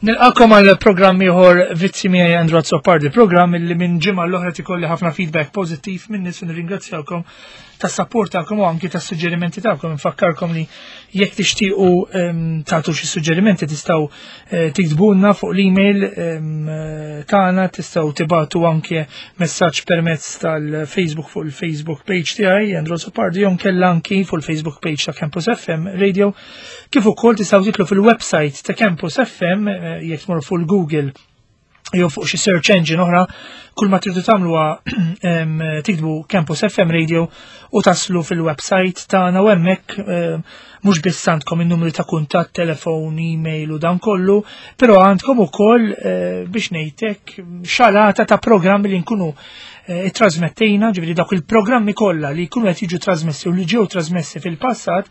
Nilqakom għal programm ieħor Vizzi miegħi Andrew Azzopardi, programm li minn ġimgħa l-oħra tikolli ħafna feedback pożittiv minn nies u nirringrazzjawkom tas-sapport tagħkom u anki tas-suġġerimenti tagħkom. Nfakkarkom li jekk tixtiequ ehm, tagħtu xi suġġerimenti tistgħu eh, tiktbulna fuq l-email ehm, tagħna, tistgħu tibatu anke messaġġ permezz tal-Facebook fuq il-Facebook page tiegħi Andrew Azzopardi jew nkella anki fuq il-Facebook page ta' Campus FM Radio. Kif ukoll tistgħu titlu fil-website ta' Campus FM eh, jekk tmorru fuq il-Google jew fuq xi search engine oħra, kull ma tridu tagħmlu tiktbu Campus FM Radio u taslu fil-website tagħna u hemmhekk mhux biss għandkom in-numri ta' kuntatt, telefon, email u dan kollu, però għandkom ukoll eh, biex ngħidlek xalata ta' programmi li nkunu eh, trasmettejna, ġifieri dawk il-programmi kollha li jkunu qed jiġu trasmessi u li ġew trasmessi fil-passat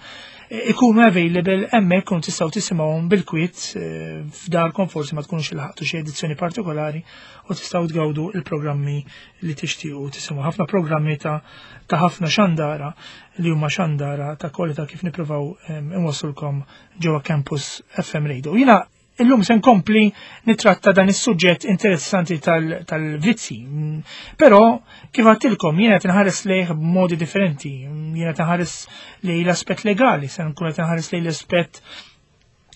ikunu available hemmhekk kun tistgħu tisimgħuhom bil-kwiet eh, f'darkom forsi ma tkunux ilħaqtu xi edizzjoni partikolari u tistgħu tgawdu il-programmi li tixtiequ tisimgħu. Ħafna programmi ta' ta' ħafna xandara li huma xandara ta' kwalità kif nippruvaw ehm, inwassulkom ġewwa Campus FM Radio. Jiena Illum se nkompli nitratta dan is-suġġett interessanti tal-vizzi. Però kif għattilkom jiena qed inħares lejh b'modi differenti. Jiena qed inħares lejn l-aspett legali, se nkun qed inħares lejn l-aspett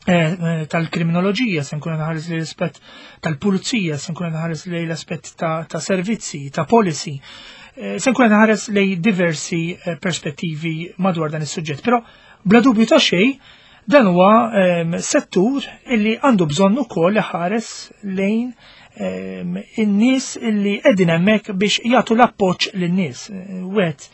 eh, eh, tal-kriminoloġija, se nkun nħares lejn l-aspett tal-pulizija, se nkun nħares lejn l-aspett ta' servizzi, ta' policy. Eh, se nkun nħares lejn diversi perspettivi madwar dan is-suġġett. Però bla dubju ta' xejn, Dan huwa ehm, settur illi għandu bżonn ukoll iħares lejn ehm, in-nies illi qegħdin hemmhekk biex jagħtu l-appoġġ lin-nies. Wieħed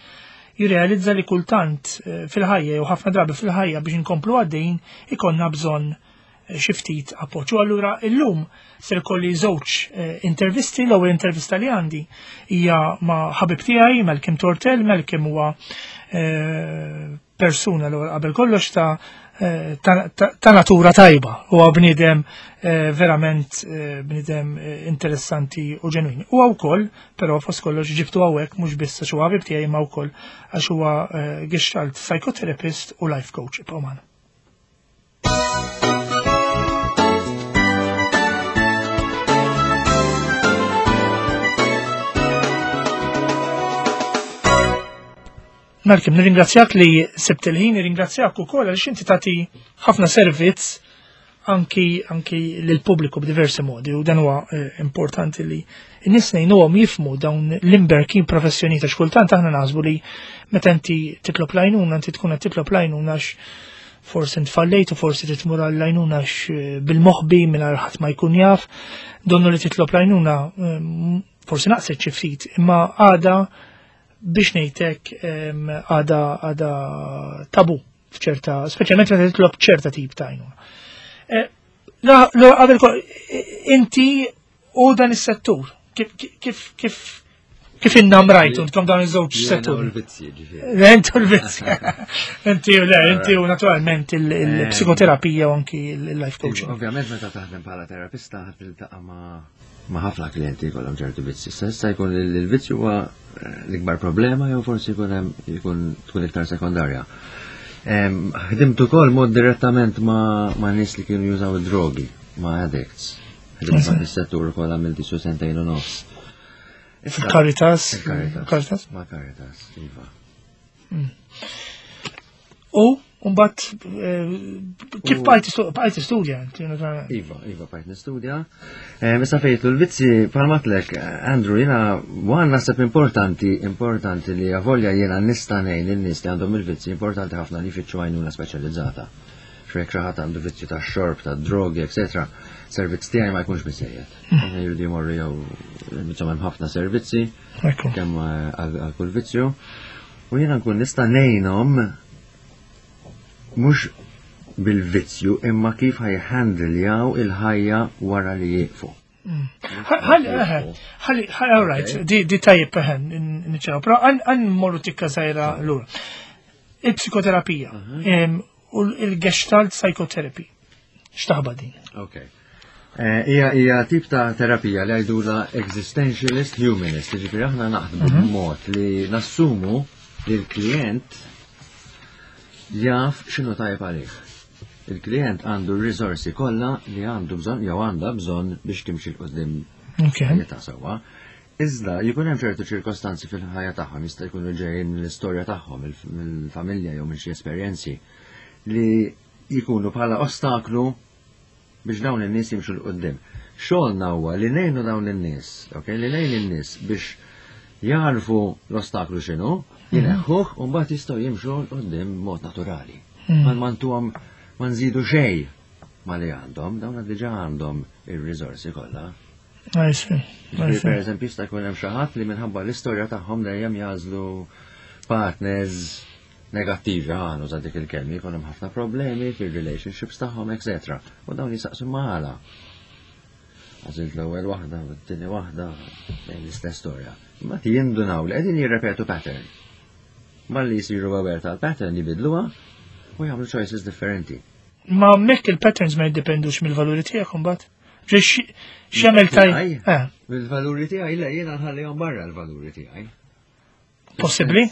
jirrealizza li kultant eh, fil-ħajja jew ħafna drabi fil-ħajja biex inkomplu għaddejn ikonna bżonn eh, xi ftit appoġġ. U allura illum ser kolli żewġ eh, intervisti, l-ewwel intervista li għandi hija ma' ħabib tiegħi Malcolm Tortel, Malcolm huwa persuna l qabel kollox ta' eh, ta, ta, ta natura tajba huwa bniedem eh, verament eh, bniedem interessanti u ġenwin. Huwa wkoll, però fost kollox ġibtu hawnhekk mhux biss għax huwa ħabib tiegħi ma wkoll għax huwa gestalt psychotherapist u life coach ibqgħu magħna. Malcolm, nirringrazzjak li sibt il-ħin, nirringrazzjak ukoll għaliex inti tagħti ħafna servizz anki anki lill-pubbliku b'diversi modi u dan huwa eh, importanti li n-nies ngħinuhom jifmu dawn l-imberkin professjoni ta' xkultant aħna naħsbu li meta inti titlob l-għajnuna inti tkun qed titlob l-għajnuna għax forsi ntfallejt u forsi titmur għall-għajnuna eh, bil-moħbi mingħajr ħadd ma jkun jaf, donnu li titlob l-għajnuna eh, forsi naqset xi ftit, imma għada biex ngħidlek għada għada tabu f'ċerta, speċjalment meta titlob ċerta tip ta' għajnuna. Eh, qabel inti u dan is-settur, kif kif kif kif innamrajtu intkom dawn iż-żewġ settur? l-vizzji, ġifieri. Intu l-vizzji. Inti le, inti u naturalment il-psikoterapija u anki il-life coaching. Ovvjament meta taħdem bħala terapista ħadd tiltaqa' ma' ma' ħafna klijenti jkollhom ċertu vizzi. Issa jkun il-vizzju huwa eh, l-ikbar problema jew forsi jkun hemm jkun tkun iktar sekondarja. Ħdimt ukoll mod direttament ma' ma' nies li kienu jużaw id-drogi, ma' addicts. Ħdimt ma' fis-settur ukoll għamilt isu sentejn u nofs. Caritas. Caritas. Ma' Caritas, iva. Hmm. U mbagħad eh, kif bqajt istudja? Iva, iva bqajt nistudja. Eh, issa fejtu l-vizzi palmatlek, Andrew, jiena għan naħseb importanti, importanti li għavolja jiena nista' ngħin in-nies li għandhom il-vizzi, importanti ħafna li jfittxu għajnuna speċjalizzata. Xrek xi ħadd għandu vizzju ta' xorb, ta' drogi, eccetera, servizz tiegħi ma jkunx biżejjed. Hmm. Jridu jmorru jew insomma hemm ħafna servizzi kemm eh, għal kull vizzju. U jiena nkun nista' ngħinhom mhux bil-vizzju imma kif ħajhandiljaw il-ħajja wara li jieqfu. Hmm. Ħalli, ħalli, all right, di tajjeb peħen, niċċaraw, però għan morru tikka zaħira l-ura. Il-psikoterapija mhm. u il-gestalt psychotherapy. X'taħba din? Okay. Eh, hija hija tip ta' terapija li għajdula existentialist humanist, jiġifieri aħna naħdmu mhm. b'mod li nassumu li l-klient jaf x'inhu tajjeb għalih. Il-klient għandu r-riżorsi kollha li għandu bżonn jew għandha bżonn biex timxi 'l quddiem ħajjitha sewwa. Iżda jkun hemm ċertu ċirkostanzi fil-ħajja tagħhom jista' jkunu ġejjin mill-istorja tagħhom, mill-familja jew minn xi esperjenzi li jkunu bħala ostaklu biex dawn in-nies jimxu 'l quddiem. Xogħolna huwa li ngħinu dawn in-nies, ok, li ngħin in-nies biex jagħrfu l-ostaklu x'inhu, jineħħuh u mbagħad jistgħu jimxu 'l quddiem b'mod naturali. Ma ma ntuhom ma nżidu xejn ma li għandhom, dawn diġà għandhom ir-riżorsi kollha. Per eżempju, jista' jkun hemm xi ħadd li minħabba l-istorja tagħhom dejjem jażlu partners negattivi ħa nuża dik il-kelma, jkun hemm ħafna problemi fir-relationships tagħhom, etc. U dawn jisaqsu għala. Għażilt l-ewwel waħda, u t-tieni waħda, l-istess storja. Imma jindunaw li qegħdin jirrepetu pattern. Malli jisiru aware tal-pattern jibidluha u jagħmlu choices differenti. Ma mekk il-patterns ma jiddependux mill-valuri tiegħek imbagħad? X'jagħmel taj? Eh. Mill-valuri tiegħi le jiena nħallihom barra l-valuri tiegħi. Possibbli?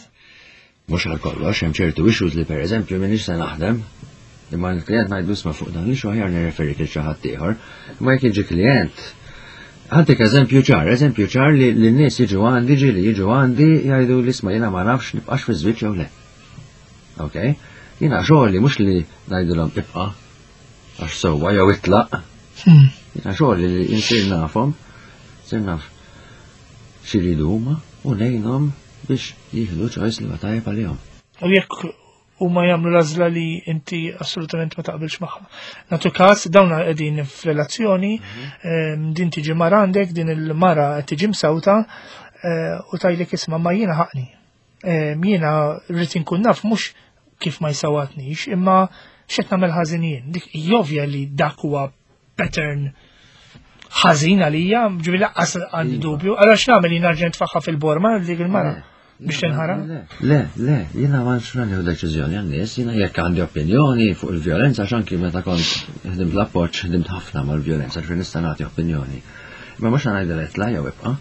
Mhux għal kollox, hemm ċertu issues li pereżempju m'iniex se naħdem, imma l-klient ngħidlu isma' fuq dan l-issue aħjar nirreferi lil xi ħadd ieħor. Imma jekk jiġi klient, ħa ntik eżempju ċar, eżempju ċar li n-nies jiġu għandi, ġieli jiġu għandi jgħidu li isma' jiena ma nafx nibqax fi żwieġ jew le. Ok? Jiena xogħli mhux li ngħidilhom ibqa' għax sewwa jew itlaq. Jiena xogħli li insir nafhom, sir naf x'iridu huma u ngħinhom biex jieħdu choice li huwa tajjeb għalihom. U jekk huma jagħmlu l-għażla li inti assolutament ma taqbilx magħha. Nagħtu każ dawn qegħdin f'relazzjoni, din tiġi mara għandek, din il-mara qed tiġi msawta u tgħidlek isma' ma jiena ħaqni. Jiena rrid inkun naf mhux kif ma jsawatnix, imma x'qed nagħmel ħażin jien. Dik jovja li dak huwa pattern ħażin għalija, ġifieri lanqas għandi dubju, allura x'nagħmel jien nerġa' nitfagħha fil-borma dik il-mara biex tinħara? Le, le, jiena ma nix nieħu deċiżjoni għan-nies, jiena jekk għandi opinjoni fuq il-vjolenza x'anki meta kont ħdimt l-appoġġ, ħdimt ħafna mal-vjolenza, ġifieri nista' nagħti opinjoni. Ma mhux ngħidilha itla' jew ibqa'.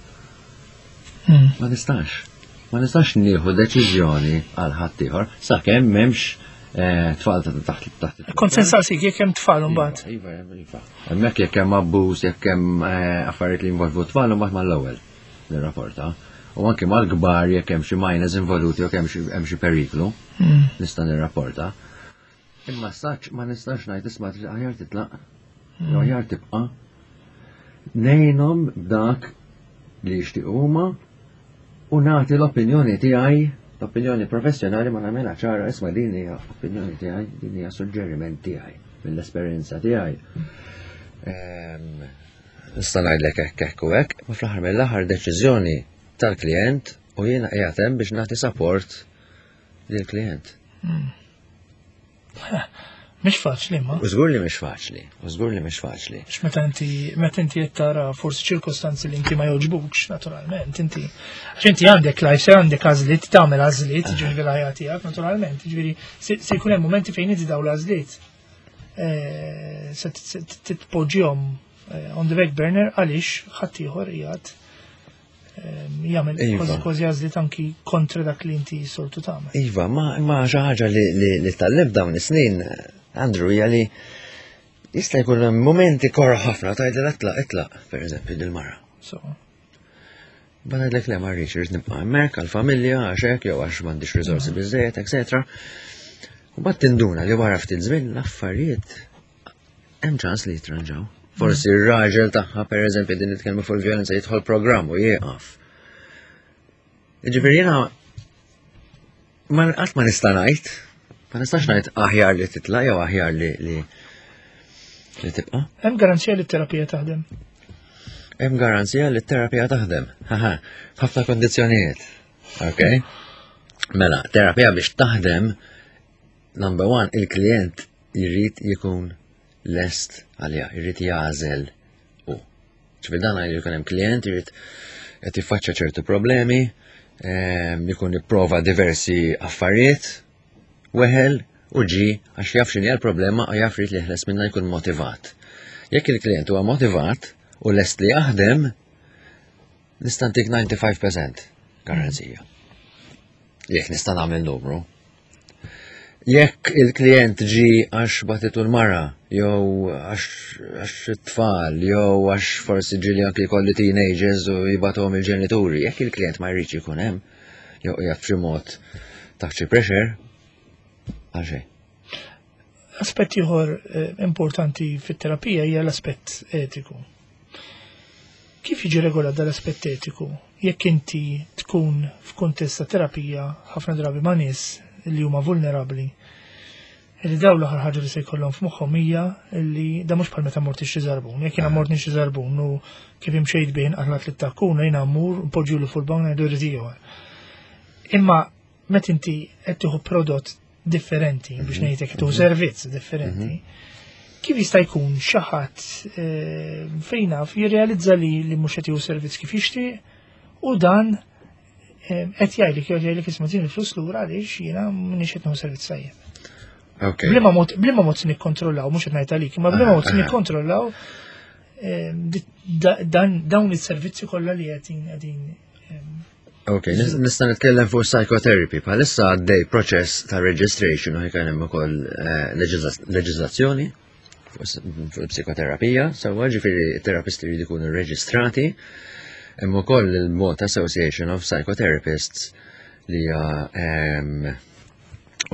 Ma nistax. Ma nistax nieħu deċiżjoni għal ħaddieħor sakemm m'hemmx tfal ta' taħt taħt. Kont se nsaqsik jekk hemm tfal imbagħad. Iva, iva. Hemmhekk jekk hemm abbuż, jekk hemm affarijiet li jinvolvu tfal imbagħad mal-ewwel nirrapporta. U anke mal-kbar jekk hemm xi minors involuti jew hemm xi periklu, nista' nirrapporta. Imma saċ ma nistax ngħid isma' aħjar titlaq, jew aħjar tibqa'. Ngħinhom b'dak li jixtiequ huma u nagħti l-opinjoni tiegħi, l-opinjoni professjonali ma nagħmilha ċara isma' din hija opinjoni tiegħi, din hija suġġeriment tiegħi mill-esperjenza tiegħi. Nista' ngħidlek hekk hekk u hekk, ma fl-aħħar mill-aħħar deċiżjoni tal-klient u jiena qiegħed hemm biex nagħti support lill-klient. Mhix faċli ma. U żgur li mhix faċli, u żgur li mhix faċli. Għax meta inti meta inti qed tara forsi ċirkostanzi li inti ma jogħġbukx naturalment, inti għax inti għandek life, għandek għażliet, tagħmel għażliet, ġifieri l-ħajja tiegħek naturalment, ġifieri se jkun hemm momenti fejn inti dawn l-għażliet se titpoġġihom on the back burner għaliex ħaddieħor qiegħed jagħmel kważi għażliet anki kontra dak li inti soltu tagħmel. Iva, ma xi ħaġa li tgħallimt dawn is-snin, Andrew, hija li jista' jkun hemm momenti korra ħafna tgħidilha itlaq, itlaq, pereżempju dil-mara. So. Ma ngħidlek le ma rridx, irrid nibqa' hemmhekk għall-familja, għax hekk jew għax m'għandix riżorsi biżejjed, eċetera. U mbagħad tinduna li wara ftit żmien l-affarijiet hemm ċans li jitranġaw. Forsi r-raġel tagħha pereżempju din nitkellmu fuq il-vjolenza jidħol programm u jieqaf. Jiġifieri jiena ma qatt ma nista' ngħid, ma nistax ngħid aħjar li titla' jew aħjar li li li tibqa'. Hemm garanzija li t-terapija taħdem. Hemm garanzija li t-terapija taħdem. Haha, f'ħafna kondizzjonijiet. Ok? Mela, terapija biex taħdem, number one, il-klient jrid jikun lest għalija, jrid jagħżel u. Ġifieri dan jrid jkun hemm klient jrid qed jiffaċċja ċertu problemi, jkun ipprova diversi affarijiet, weħel u ġi għax jaf x'inhi l-problema u jaf jrid li jeħles minnha jkun motivat. Jekk il-klient huwa motivat u lest li jaħdem, nista' ntik 95% garanzija. Jekk nista' nagħmel numru. Jekk il-klient ġi għax batitu l-mara, jew għax it-tfal, jew għax forsi ġili anki jkolli teenagers u jibatuhom il-ġenituri, jekk il-klient ma jridx ikun hemm, jew qiegħed b'xi mod taħt xi pressure, għal xejn. Aspett ieħor eh, importanti fit-terapija hija l-aspett etiku. Kif jiġi regolat dal-aspett etiku? Jekk inti tkun f'kuntest ta' terapija ħafna drabi ma' nies li huma vulnerabbli, li daw l-aħħar ħaġa li se jkollhom f'moħħhom hija li da mhux bħal meta mort xi żarbun. Jekk jiena mort xi żarbun u kif imxejt bih inqatlat li takkuna jiena mmur npoġġilu fuq il-bank ngħidu rrid ieħor. Imma meta inti qed tieħu prodott differenti biex mhm. ngħidlek tieħu mhm. servizz differenti, mhm. kif jista' jkun xi ħadd eh, fejn naf jirrealizza li li mhux qed jieħu servizz kif jixtieq u dan eh, qed jgħidlek jew jgħidlek isma' din il-flus lura għaliex jiena m'iniex qed nieħu servizz tajjeb. Bliema mod bliema mod nikkontrollaw, mhux qed ngħid għalik, imma bliema mod nikkontrollaw eh, dawn is-servizzi kollha li qed qegħdin Ok, nista' nitkellem fuq psychotherapy. Bħalissa għaddej proċess ta' registration u ħikan hemm ukoll eh, leġiżlazzjoni fuq psikoterapija, sewwa ġifieri terapisti jridu jkunu rreġistrati. Hemm ukoll il-Malta Association of Psychotherapists li hija ehm,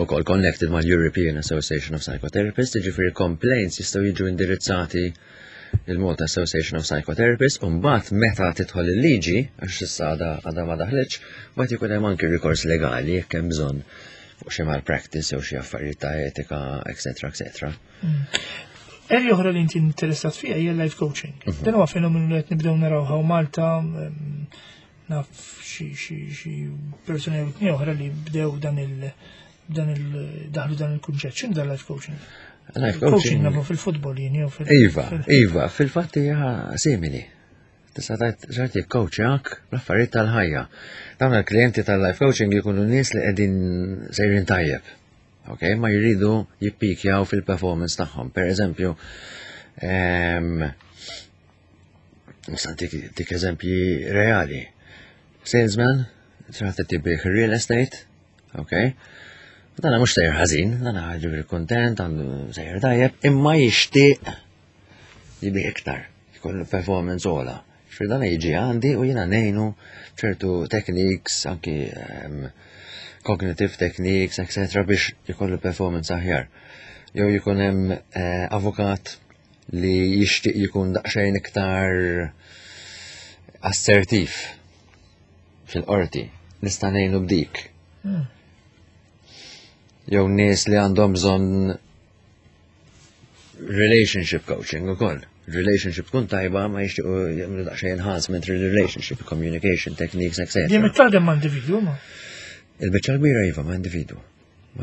ukoll connected mal-European Association of Psychotherapists, ġifieri complaints jistgħu jiġu indirizzati il-Malta Association of Psychotherapists, u mbagħad meta tidħol il-liġi, għax issa għadha ma daħlitx, mbagħad ikun hemm anki rikors legali jekk hemm bżonn fuq xi malpractice jew xi affarijiet ta' etika, etc. etc. Mm. Erja oħra li inti interessat fija hija life coaching. Mhm. Dan huwa fenomenu li qed nibdew naraw hawn Malta, mm, naf xi persuni jew tnejn oħra li bdew dan il dan il daħlu dan il-kunċett. X'inhu dan life coaching? Life coaching nafu fil-futbol jien jew fil Iva, iva, fil-fatt hija simili. Tista' tgħid ġarti coaching l-affarijiet tal-ħajja. Dawn il-klijenti tal-life coaching jkunu nies li qegħdin sejrin tajjeb. Ok, ma jridu jippikjaw fil-performance tagħhom. Per eżempju, ehm, Nista' dik eżempji reali. Salesman, trid tibih real estate, ok? Dana mhux sejjer ħażin, dana ġifieri kuntent, għandu sejjer tajjeb, imma jixtieq jibih iktar, jkollu performance ola. Ġifieri dana jiġi għandi u jiena ngħinu ċertu techniques, anki ehm, cognitive techniques, etc. biex jkollu performance aħjar. Jew jkun hemm eh, avukat li jixtieq jkun daqsxejn iktar assertiv fil-qorti. Nista' ngħinu b'dik. Hmm. Jew nies li għandhom bżonn relationship coaching ukoll. Relationship tkun tajba ma jixtiequ jagħmlu daqsxejn enhancement relationship, communication techniques, etc. Dejjem taħdem ma' individwu ma? Il-biċċa kbira iva ma' individwu.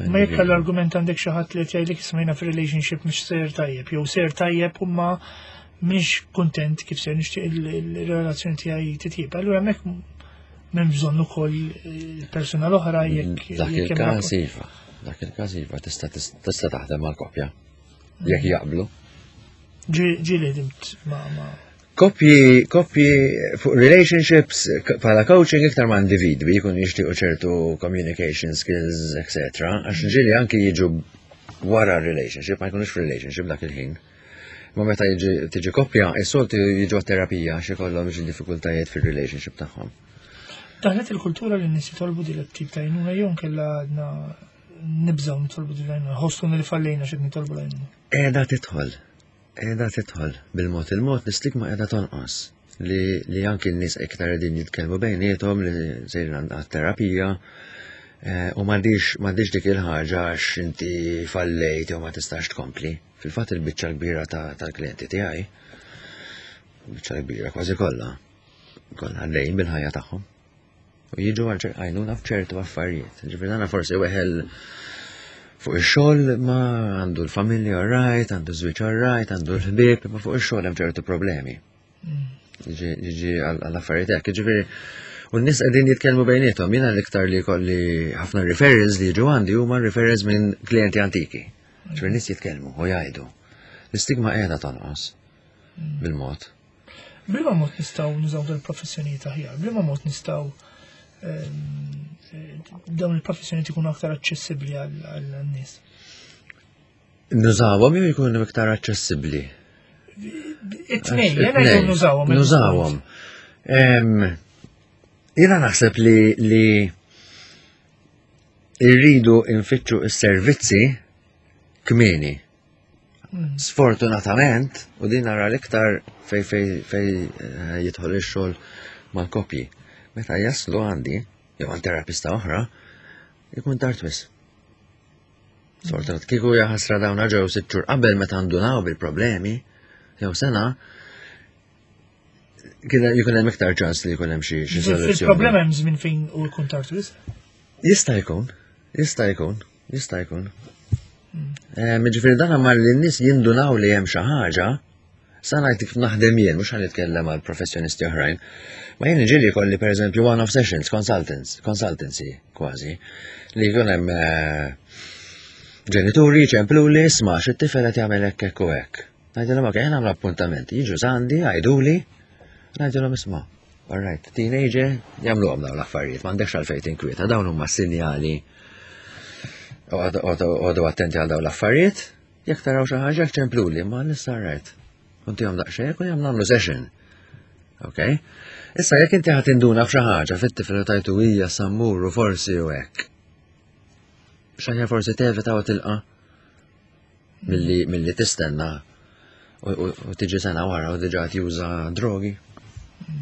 Ma jekk l-argument għandek xi ħadd li qed jgħidlek ismajna f'relationship mhux ser tajjeb, jew ser tajjeb u ma mhix kuntent kif ser nixtieq il-relazzjoni tiegħi titjib. Allura hemmhekk m'hemm bżonn ukoll il-persuna l-oħra jekk. Dak il-każ iva, dak il-każ iva tista' tista' taħdem mal-koppja jekk jaqblu. Ġieli ħdimt ma' Koppji, koppji fuq relationships bħala coaching iktar ma' individwi jkun jixtiequ ċertu communication skills, etc. Għax ġieli anki jiġu wara relationship, ma jkunux relationship dak il-ħin. Ma meta jiġi tiġi koppja, is-soltu jiġu terapija għax ikollhom xi diffikultajiet fir-relationship tagħhom. Daħlet il-kultura li n-nies jitolbu din it-tip ta' għajnuna jew nkella għadna nibżgħu nitolbu din l-għajnuna, ħossu li fallejna x'qed nitolbu l-għajnuna. Qiegħda tidħol. Qiegħda tidħol bil-mod il-mod l-istigma qiegħda tonqos li, li anki n-nies iktar qegħdin jitkellmu bejniethom li sejrin għat-terapija eh, u m'għandix m'għandix dik il-ħaġa għax inti fallejt jew ma tistax tkompli. Fil-fatt il-biċċa kbira tal-klijenti tiegħi, biċċa kbira kważi kollha, kollha għaddejjin bil-ħajja tagħhom. U jiġu għal għajnuna f'ċertu affarijiet. Ġifieri dana forsi weħel fuq ix-xogħol ma għandu l-familja right, għandu żwieġ right, għandu l-ħbieb, ma fuq ix-xogħol hemm ċertu problemi. Mm. Jiġi għall-affarijiet hekk, ġifieri U n-nies qegħdin jitkellmu bejniethom, jiena l-iktar li kolli ħafna referrals li jiġu għandi huma referrals minn klijenti antiki. Ġifieri nies jitkellmu u jgħidu. L-istigma qiegħda tonqos mm. bil-mod. Bliema mod nistgħu nużaw dal-professjonijiet aħjar? Bliema mod nistgħu dawn il-professjoni ikunu aktar aċċessibbli għal-nies? Nużawhom jew jkunu iktar aċċessibbli? It-tnejn, jena jkun nużawhom. Nużawhom. Jena naħseb li li irridu infittxu s-servizzi kmieni. Sfortunatament, u din nara l-iktar fej fej fej eh, jidħol ix-xogħol mal-kopji. Meta jaslu għandi, jew għand terapista oħra, ikun tard wisq. Sfortunat kieku jaħasra dawn ġew sitt xhur qabel meta ndunaw bil-problemi, jew sena, kien jkun hemm iktar ċans li jkun hemm xi soluzzjoni. Il-problema hemm żmien fejn u jkun tard wisq. Jista' jkun, jista' jkun, jista' jkun. Eh, Ġifieri dan mar li n-nies jindunaw li hemm xi ħaġa, sa ngħid kif naħdem jien, mhux ħa nitkellem għal professjonisti oħrajn. Ma jien ġieli jkolli pereżempju one-off sessions, consultants, consultancy kważi, li jkun hemm eh, ġenituri ċempluli isma' xi tifel qed jagħmel hekk hekk u hekk. Ngħidilhom ok, nagħmlu appuntament, jiġu sandi, għiduli, ngħidilhom isma' All right, teenager, jagħmluhom dawn l-affarijiet, m'għandekx għalfejn tinkwieta, dawn huma sinjali. Għodu attenti għal dawn l-affarijiet, jekk taraw xi ħaġa ċempluli, ma nista' right. Kuntihom daqsxejn u jagħmlu nagħmlu session. Ok? Issa jekk inti ħadd induna f'xi ħaġa fit-tifel u tajtu hija sammuru forsi u hekk. Xaħja forsi tevita u tilqa' milli milli tistenna u tiġi sena wara u diġà juża drogi,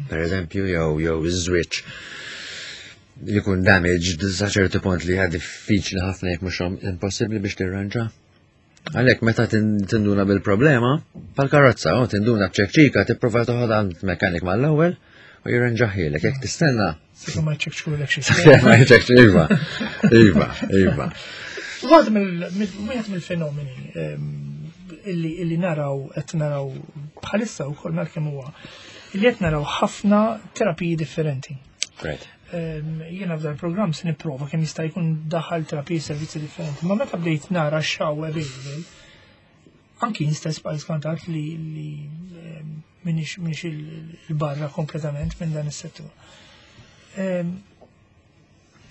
per eżempju, jew jew iż-żwieġ jkun damaged sa ċertu punt li hija diffiċli ħafna jekk mhux impossibbli biex tirranġa. Għalhekk meta tinduna bil-problema, pal-karozza, u tinduna b'ċekċika tipprova toħodha għand mekanik mal-ewwel u jirranġaħielek jekk tistenna. Sakemm ma jċekċkulek xi. Ma jċekċ, iva, iva, iva. Waħed mill-fenomeni ehm, illi naraw qed naraw bħalissa wkoll nar kemm huwa illi qed naraw ħafna terapiji differenti. Ehm, jiena f'dan il-programm se nipprova kemm jista' jkun daħal terapiji servizzi differenti, ma meta bdejt nara xaw available, anki jien stess bqajt skantat li li ehm, minix minix il-barra kompletament minn dan is-settur. Ehm,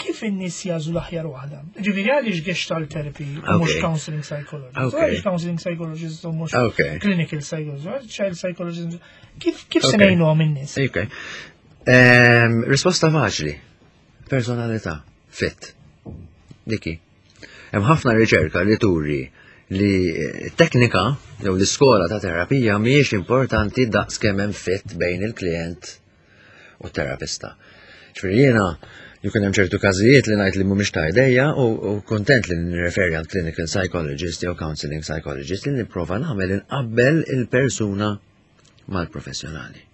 kif in-nies jażu l-aħjar waħda? Ġifieri għaliex gestalt therapy u mhux counseling psychologist? Għaliex counseling psychologist u mhux clinical psychologist, child psychologist? Kif kif se ngħinuhom in-nies? Ok. Ehm, risposta faċli. Personalità, fit. Diki. Hemm ħafna riċerka li turi li teknika jew l-iskola ta' terapija mhijiex importanti daqs kemm hemm fit bejn il-klient u t-terapista. Ġifieri jiena jkun hemm ċertu każijiet li ngħid li mhumiex ta' idejja u kontent li nirreferi għal clinical psychologist jew counseling psychologist li nipprova nagħmel inqabbel il-persuna mal-professjonali.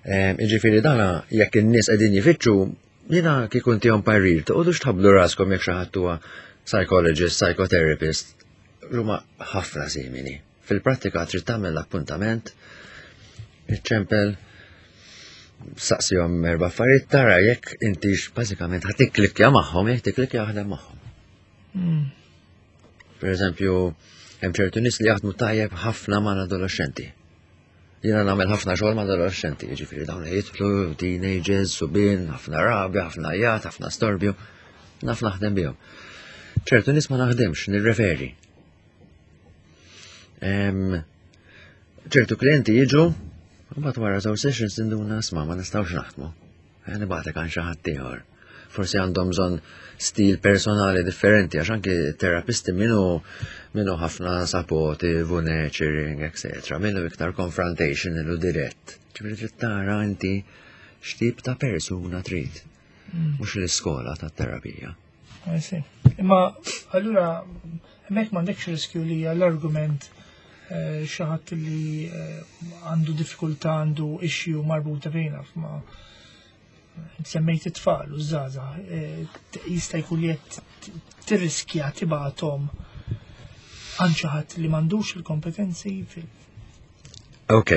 Ehm, Ġifieri dana jekk in-nies qegħdin jifittxu, jiena kieku ntihom parir, toqgħodux tħabblu raskom jekk xi ħadd huwa psychologist, psychotherapist, huma ħafna simili. Fil-prattika trid tagħmel l-appuntament, iċċempel, saqsihom erba' affarijiet tara jekk intix bażikament ħa tikklikkja magħhom, jekk tikklikkja aħdem magħhom. Per eżempju, hemm ċertu nies li jaħdmu tajjeb ħafna mal-adolescenti. Jiena nagħmel ħafna xogħol ma' adolescenti, jiġifieri dawn jidħlu teenagers, subien, ħafna rabja, ħafna għajat, ħafna storbju, naf naħdem bihom. Ċertu nies ma naħdemx, nirreferi. Ċertu klienti jiġu, mbagħad wara żewġ sessions tinduna sma ma nistgħux naħdmu. Eh, nibgħatek għan xi ħadd ieħor. Forsi għandhom bżonn stil personali differenti għax anki terapisti minnu minnu ħafna supportive u nurturing, etc. Minnu iktar confrontational u dirett. Ġifieri trid tara inti x'tip ta' persuna trid. Mhux l-iskola tat-terapija. I see. Imma allura hemmhekk m'għandekx riskju li l-argument eh, xi ħadd li eh, għandu diffikultà għandu issue marbuta bejna ma semmejt it-tfal u żgħażagħ eh, jista' jkun li qed tirriskja tibgħathom għand xi ħadd li m'għandux il-kompetenzi fil Ok,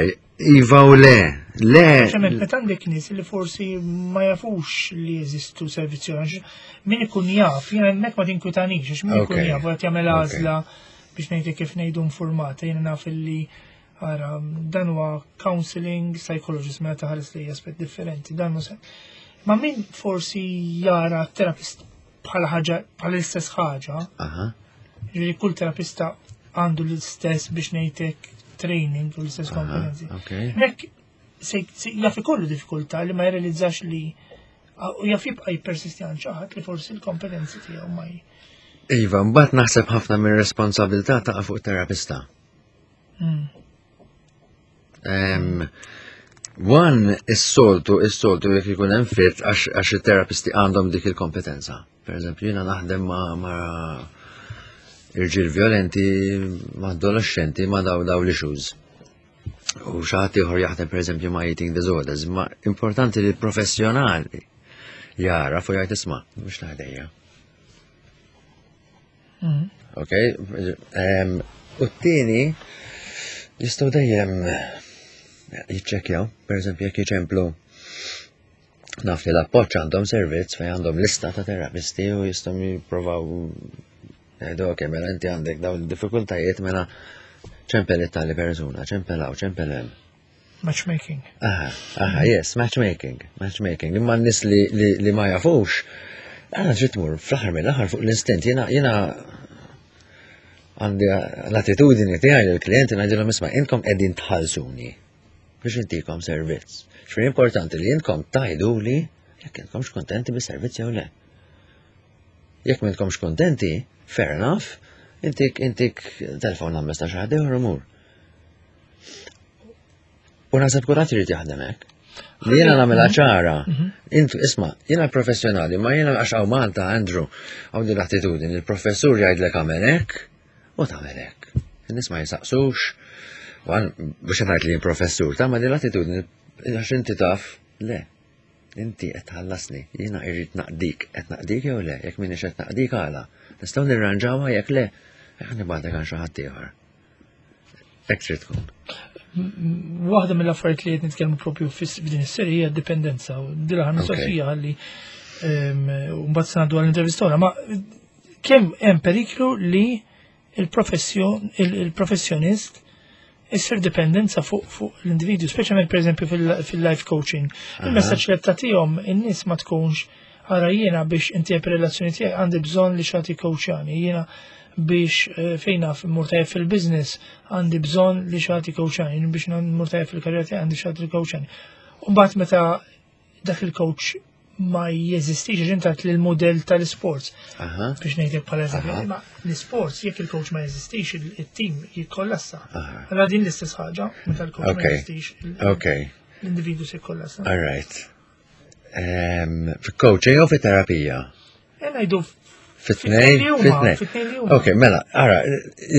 Iva u le, le. Ċemet, meta għandek nies li forsi ma jafux li jeżistu servizzi għax min ikun jaf, jiena hemmhekk ma tinkwitanix, għax min ikun jaf qed jagħmel għażla biex ngħidlek kif ngħidu informata, jiena naf li ara dan huwa counseling psychologist meta taħares li aspett differenti, dan mhux. Ma min forsi jara terapist bħala ħaġa bħala l-istess ħaġa. Ġifieri kull terapista għandu l-istess biex ngħidlek training u l-istess kompetenzi. Mek jaf ikollu diffikultà li ma jirrealizzax li u jaf jibqa' jippersisti għand xi ħadd li forsi l-kompetenzi tiegħu ma Iva, mbagħad naħseb ħafna minn responsabilità taqa' fuq terapista. One, is-soltu, is-soltu jekk ikun hemm fit għax it-terapisti għandhom dik il-kompetenza. Per eżempju, jiena naħdem ma' ma' irġiel violenti, ma' adolescenti, ma' daw daw l-issues. U xi ħadd ieħor jaħdem per eżempju ma' eating disorders, ma' importanti li l-professjonali jara u jgħid isma' mhux taħdejja. Ok, u t-tieni jistgħu dejjem jiċċekkjaw, per eżempju jekk jiċemplu naf li l-appoġġ għandhom servizz fejn għandhom lista ta' terapisti u jistgħu jipprovaw jgħidu ok, mela inti għandek dawn id-diffikultajiet mela ċempel it-tali persuna, ċempel hawn, ċempel hemm. Matchmaking. Aha, aha, yes, matchmaking, matchmaking. Imma n-nis li, li, li ma jafux, għana ġiet tmur fl-aħħar mill-aħħar fuq l-instinт, jena, jena għandi l-attitudini tiegħi lill-klijenti ngħidilhom isma' intkom qegħdin tħallsuni biex intikom servizz. X'fir importanti li intkom tgħiduli jekk intkomx kontenti bis-servizz jew le. Jekk m'intkomx kontenti, fair enough, intik intik telefon number ta' xi ħadd ieħor imur. U naħseb kulħadd irid jaħdem hekk. Li jiena nagħmilha ċara. Intu isma' jiena professjonali, ma jiena għax hawn Malta, Andrew, hawn din l-attitudni, il-professur jgħidlek agħmel hekk u tagħmel hekk. In-nies ma jisaqsux, u għan biex ngħid li jien professur, ta' ma din l-attitudni għax inti taf, le. Inti qed tħallasni, jiena irrid naqdik, qed naqdik jew le, jekk m'iniex qed naqdik għala. Nistgħu nirranġawha jekk le, ħa nibgħatek għand xi ħadd ieħor. Hekk trid tkun. Waħda mill-affarijiet li qed nitkellmu propju f'din is-serje hija d-dipendenza. U din l-aħħar mistoqsija ħalli mbagħad se ngħaddu għall-intervista oħra, ma kemm hemm periklu li il-professjonist issir dipendenza fuq fuq l-individwu, speċjalment pereżempju fil-life coaching. Il-messaġġ li qed tagħtihom in-nies ma tkunx ara jiena biex intejjeb ir-relazzjoni tiegħi għandi bżonn li xi ħadd jikkowċjani, jiena biex eh, fejn naf immur tajjeb fil-business għandi bżonn li xi ħadd jikkowċjani, biex immur tajjeb fil-karriera tiegħi għandi xi ħadd jikkowċjani. U mbagħad meta dak il-coach ma jeżistix għax intat li l-modell tal-sports. Biex ngħidlek bħala eżempju, imma l-sports jekk il-coach ma jeżistix il-team jikkollassa. Allora din l-istess ħaġa meta l-coach ma jeżistix l-individu se jikkollassa. All right. Fi-coaching jew fit-terapija? Ngħidu Fit-tnejn? Fit-tnejn. Ok, mela, ara,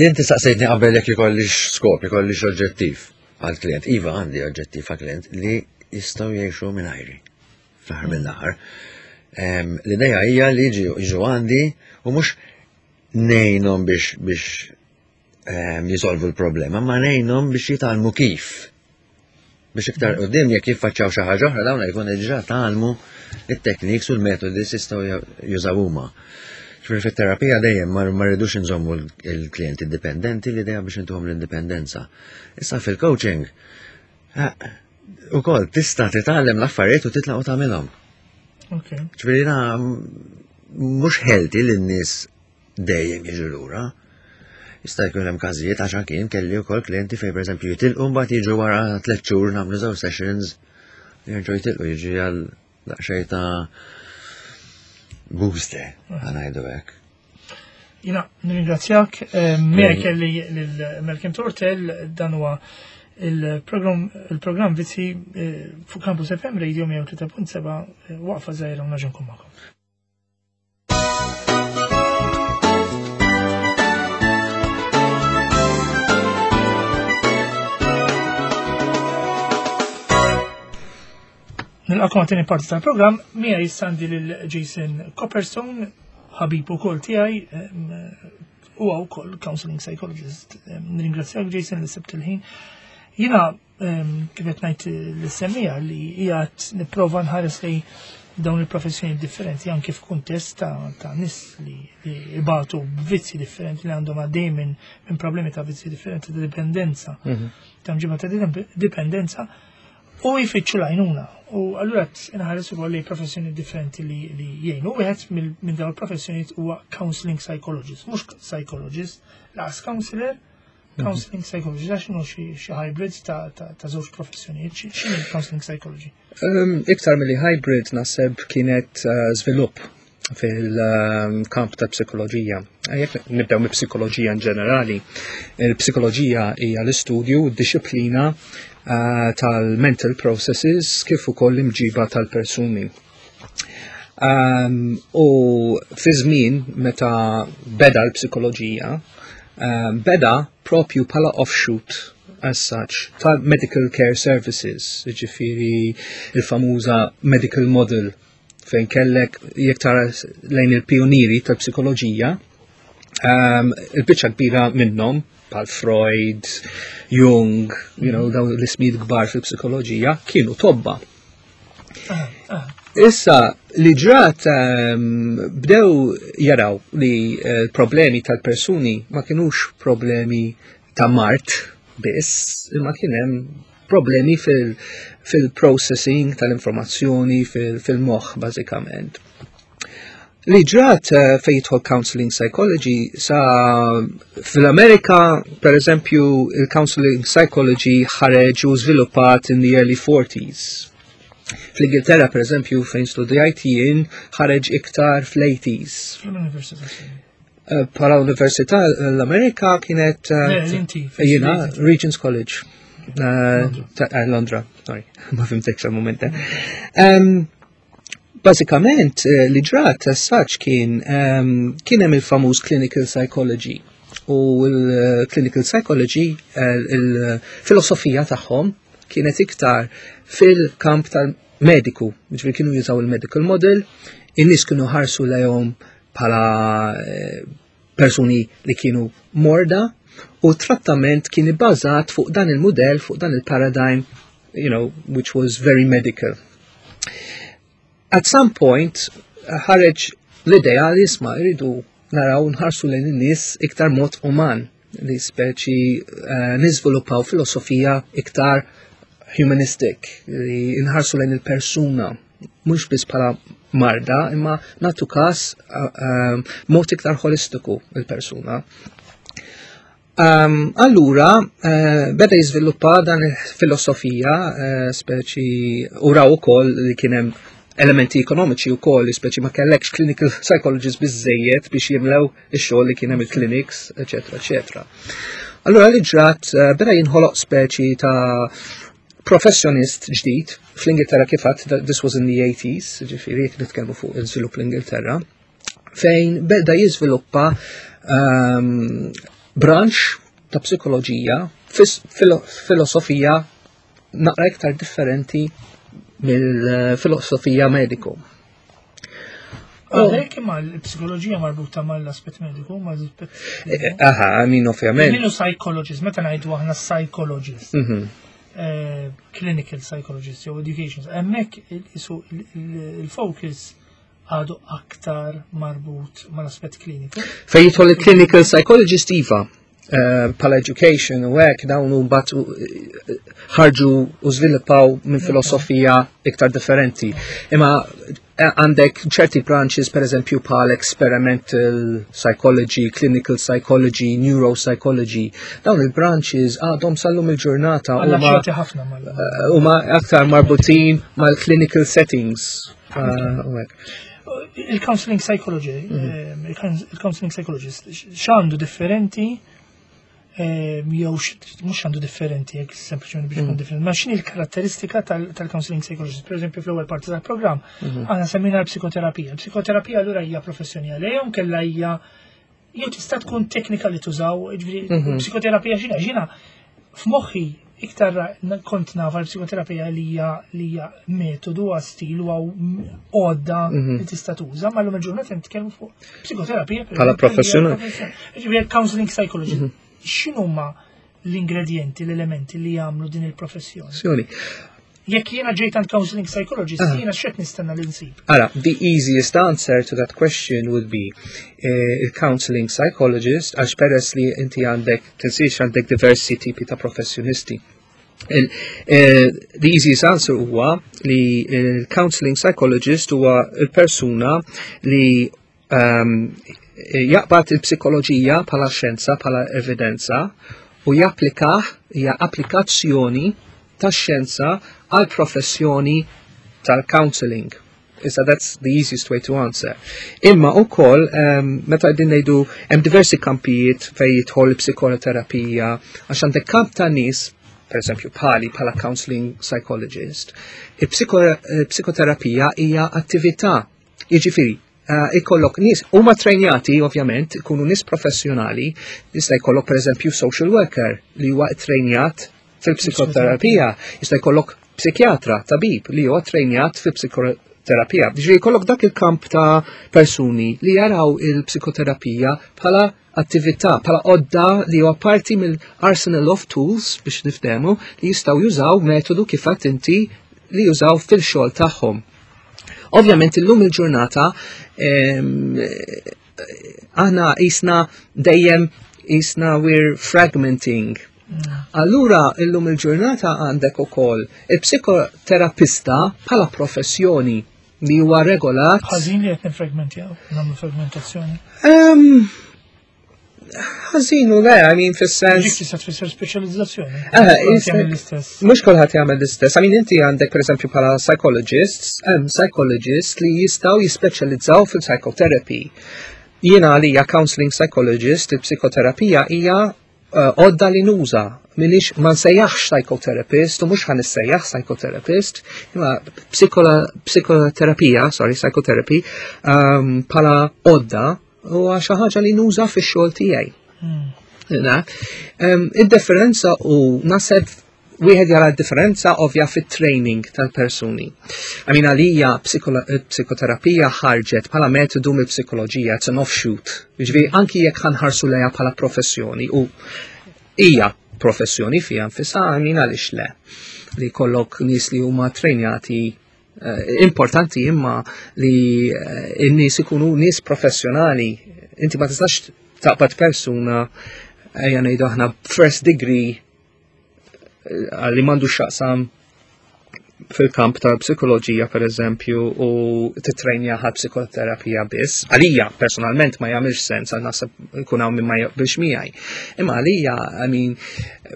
inti saqsejtni qabel jekk ikollix skop, ikollix oġġettiv għal-klient. Iva għandi oġġettiv għal-klient li jistgħu jgħixu mingħajri fl-aħħar mill-aħħar. L-idea hija li jiġu għandi u mhux ngħinhom biex biex jisolvu l-problema, ma ngħinhom biex jitgħallmu kif. Biex iktar qudiem jekk jiffaċċjaw xi ħaġa oħra dawn jkun diġà tgħallmu it-techniques u l-metodi li jistgħu jużaw huma. Ġifieri fit-terapija dejjem ma rridux inżommu l-klijenti dipendenti, l-idea biex intuhom l-indipendenza. Issa fil-coaching, ukoll tista' titgħallem l-affarijiet u titlaq u tagħmilhom. Ġifieri mhux healthy li n-nies dejjem jiġu lura. Jista' jkun hemm każijiet għax anki jien kelli wkoll klijenti fejn pereżempju jitilqu mbagħad jiġu wara tliet xhur nagħmlu żewġ sessions jerġgħu jitilqu jiġi għal daqsxejn ta' booster ngħidu hekk. Jina, nirringrazzjak, eh, miegħi kelli lil Malcolm Tortel dan huwa il-programm Vizzi eh, fuq Campus FM Radio 103.7 eh, waqfa żgħira u naġa' nkun magħkom. Nilqakom għat-tieni parti tal-programm, miegħi jissandi lil Jason Copperstone, ħabib ukoll tiegħi, huwa wkoll counseling psychologist. Nirringrazzjak Jason li sibt il-ħin. Jiena kif qed ngħid l-semmija li qiegħed nipprova nħares li dawn il-professjoni differenti anke f'kuntest ta', ta nies li, li ibatu b'vizzi differenti li għandhom għaddej minn min problemi ta' vizzi differenti ta' dipendenza. Ta' mġiba ta' dipendenza. U jfittxu l-għajnuna. U allura inħares ukoll li professjoni differenti li jgħinu. Wieħed minn dawn il-professjonijiet huwa counseling psychologist, mhux psychologist, laqas counselor, counseling psychologist, għax inhu xi hybrid ta' żewġ professjonijiet, x'inhi counseling psychology? Iktar milli hybrid naħseb kienet żvilupp fil-kamp ta' psikoloġija. Jekk nibdew mill-psikoloġija in ġenerali, il-psikoloġija hija l-istudju, d-disciplina tal-mental processes kif ukoll l-imġiba tal-persuni. U fi żmien meta beda l-psikoloġija, beda propju bħala offshoot as such ta' medical care services, ġifieri il-famuża medical model fejn kellek jekk tara lejn il-pionieri tal-psikoloġija, il-biċċa kbira minnhom bħal Freud, Jung, dawn l-ismijiet kbar fil-psikoloġija kienu tobba. Issa li ġrat bdew jaraw li problemi tal-persuni ma kienux problemi ta' mard biss, imma kien hemm problemi fil-processing tal-informazzjoni fil-moħħ bażikament. Li ġrat fejn jidħol counseling psychology sa fil-Amerika, per eżempju, il-counseling psychology ħareġ u żviluppat in the early 40s. Fl-Ingilterra, per eżempju, fejn studjajt jien, ħareġ iktar fl-80s. Fl-università. Bħala università l-Amerika kienet Le, inti, jiena, fl-Ingilterra. Regent's College. Londra. Londra, sorry, ma fimtekx għal-moment. Bażikament, li ġrat as such kien hemm il-famuż clinical psychology. U l-clinical psychology, il-filosofija tagħhom kienet iktar fil-kamp tal-mediku, ġifieri kienu jużaw il-medical model, in-nies kienu ħarsu lejhom bħala persuni li kienu morda, u trattament kien ibbażat fuq dan il-modell, fuq dan il-paradigm, which was very medical. At some point, ħareġ l-idea li isma' jridu naraw nħarsu lejn in-nies iktar mod uman, li speċi niżviluppaw filosofija iktar humanistic, li nħarsu lejn il-persuna, mhux biss bħala marda, imma nagħtu każ mod iktar holistiku il-persuna. Allura, beda jiżviluppa dan il-filosofija, speċi u raw ukoll li kien hemm elementi ekonomiċi u koll, speċi ma kellekx clinical psychologists biżejjed biex jimlew ix-xogħol li kien hemm il-clinics, eċetera, eċetera. Allura li ġrat beda jinħoloq speċi ta' professjonist ġdid fl-Ingilterra kif għedt, this was in the 80s, ġifieri jekk nitkellmu fuq il-żvilupp l-Ingilterra, fejn beda jiżviluppa branch ta' psikoloġija, filosofija naqra iktar differenti mill-filosofija mediku. Għalhekk imma l-psikoloġija marbuta mal-aspett mediku, mal-aspett mediku. Aha, I mean, ovvjament. Minnu psychologist, meta ngħidu aħna psychologist, clinical psychologist jew education, hemmhekk il-focus għadu aktar marbut mal-aspett kliniku. Fejn jidħol il-clinical psychologist iva, bħala education u hekk dawn u mbagħad ħarġu u żviluppaw minn filosofija iktar differenti. Imma għandek ċerti branches, per eżempju, bħal experimental psychology, clinical psychology, neuropsychology, dawn il-branches għadhom sal-lum il-ġurnata Għalla ċerti ħafna mal- huma aktar marbutin mal-clinical settings. U hekk. Il-counseling psychology, il-counseling psychologist, x'għandu differenti, jew mhux għandu differenti, jekk sempliċement biex ikun differenti, ma x'inhi l-karatteristika tal-counseling psychologist? Per eżempju, fl-ewwel parti tal-programm, aħna semmejna l-psikoterapija. L-psikoterapija allura hija professjoni għalihom, kellha hija jew tista' tkun teknika li tużaw, ġifieri, psikoterapija x'inha? X'inha f'moħħi iktar kont nafa l-psikoterapija li hija metodu għal stil u għaw għodda li tista' tuża, ma llum il-ġurnata nitkellmu fuq psikoterapija per Bħala eżempju, hija professjonali. professjoni. Ġifieri counseling psychology. X'inhuma l-ingredienti, l-elementi li jagħmlu din il-professjoni? Professjoni. Jekk jiena ġejt għand counseling psychologist, jiena x'qed nistenna li nsib? Ara, the easiest answer to that question would be il-counseling psychologist, għax peress li inti għandek, tinsiex għandek diversi tipi ta' professjonisti. The easiest answer huwa li il-counseling psychologist huwa il-persuna li jaqbad il-psikoloġija bħala xjenza, bħala evidenza u japplikah, hija applikazzjoni tax-xjenza għal professjoni tal-counseling. Issa that's the easiest way to answer. Imma ukoll meta qegħdin ngħidu hemm diversi kampijiet fejn jidħol psikoterapija, għax għandek kamp ta' nies, per eżempju bħali bħala counseling psychologist, il-psikoterapija hija attività. Jiġifieri, ikollok nies huma trejnjati ovvjament, ikunu nies professjonali, jista' jkollok per eżempju social worker li huwa trejnjat fil-psikoterapija, jista' jkollok psikjatra, tabib li huwa trejnjat fil-psikoterapija. Ġifieri jkollok dak il-kamp ta' persuni li jaraw il-psikoterapija bħala attività, bħala għodda li huwa parti mill-arsenal of tools biex niftehmu li jistgħu jużaw metodu kif għedt inti li jużaw fil-xogħol tagħhom. Ovvjament illum il-ġurnata aħna jisna dejjem jisna we're fragmenting. Allura illum il-ġurnata għandek ukoll il-psikoterapista bħala professjoni li huwa regolat. Ħażin li qed nifragmentjaw, nagħmlu fragmentazzjoni. Ħażin u le, I mean, fis-sens. Dik tista' tfisser speċjalizzazzjoni. Kulħadd jagħmel l-istess. Mhux kulħadd jagħmel l-istess. I mean, inti għandek pereżempju bħala psychologists, hemm psychologists li jistgħu jispeċjalizzaw fil-psychotherapy. Jiena għalija counseling psychologist, il-psikoterapija hija għodda li nuża. Minix ma nsejjaħx psychotherapist u mhux ħa nissejjaħ psychotherapist, imma psikoterapija, sorry, psychotherapy, bħala għodda huwa xi ħaġa li nuża fix-xogħol tiegħi. Id-differenza u naħseb wieħed jara d-differenza ovvja fit-training tal-persuni. I mean, għalija psikoterapija ħarġet bħala metodu mill-psikoloġija, it's an offshoot. Jiġifieri anki jekk ħanħarsu lejha bħala professjoni u hija professjoni fija nfisha, I mean, għaliex le li kollok nies li huma trejnjati, importanti imma li n-nies ikunu nies professjonali. Inti ma tistax taqbad persuna, ejja ngħidu aħna first degree, li m'għandux x'jaqsam fil-kamp tal-psikoloġija per eżempju u titrejnja ħal psikoterapija biss. Għalija personalment ma jagħmilx sens, għal naħseb ikun hawn min ma jaqbilx miegħi. Imma għalija, I mean,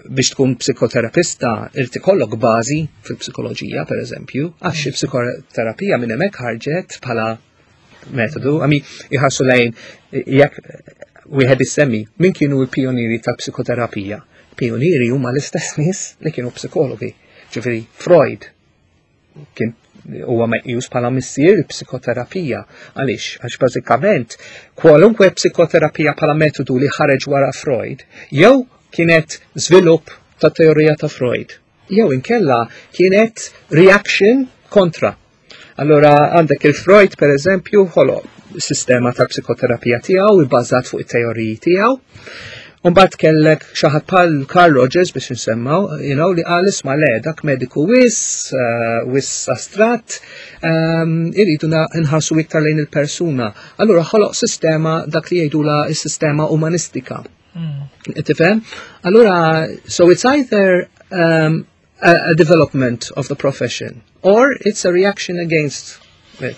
biex tkun psikoterapista irid ikollok bażi fil-psikoloġija per eżempju, għax il-psikoterapija minn hemmhekk ħarġet bħala metodu. I mean, iħarsu lejn jekk wieħed issemmi min kienu l-pionieri tal-psikoterapija. Pionieri huma l-istess nies li kienu psikologi. Ġifieri Freud kien huwa meqjus bħala missier il-psikoterapija. Għaliex? Għax bażikament kwalunkwe psikoterapija bħala metodu li ħareġ wara Freud jew kienet żvilupp ta' teorija ta' Freud, jew inkella kienet reaction kontra. Allora għandek il-Freud per eżempju ħoloq sistema ta' psikoterapija tiegħu ibbażat fuq it-teoriji tiegħu. Umbagħad kellek xi ħadd bħal Carl Rogers biex nsemmaw, li qal isma' le dak mediku wis astratt, irridu nħarsu iktar lejn il-persuna. Allura ħoloq sistema dak li jgħidula s-sistema umanistika. Tifhem? Allura, so it's either a development of the profession or it's a reaction against it.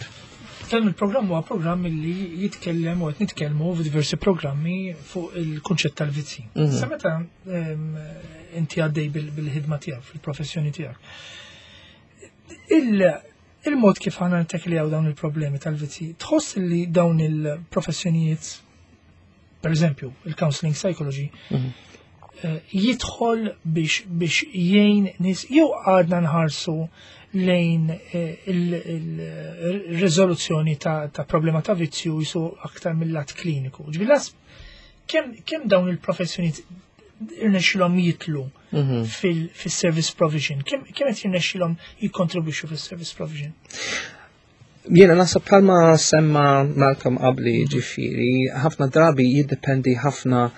Dan il-programm huwa programm li jitkellem u qed nitkellmu f'diversi programmi fuq il-kunċett tal-vizzi. Sa meta inti għaddej bil-ħidma tiegħek, fil-professjoni tiegħek. Il-mod kif aħna nitteklijaw dawn il-problemi tal-vizzi, tħoss li dawn il-professjonijiet, per eżempju, il-counseling psychology, jidħol biex jgħin nies jew għadna nħarsu lejn il-riżoluzzjoni ta' problema ta' vizzju jisu aktar mill-lat kliniku. Ġifieri kemm dawn il-professjonijiet irnexxilhom jitlu fil-service provision, kemm qed jirnexxilhom jikkontribwixxu fil-service provision? Jiena naħseb bħalma semma Malcolm qabli, ġifieri, ħafna drabi jiddependi ħafna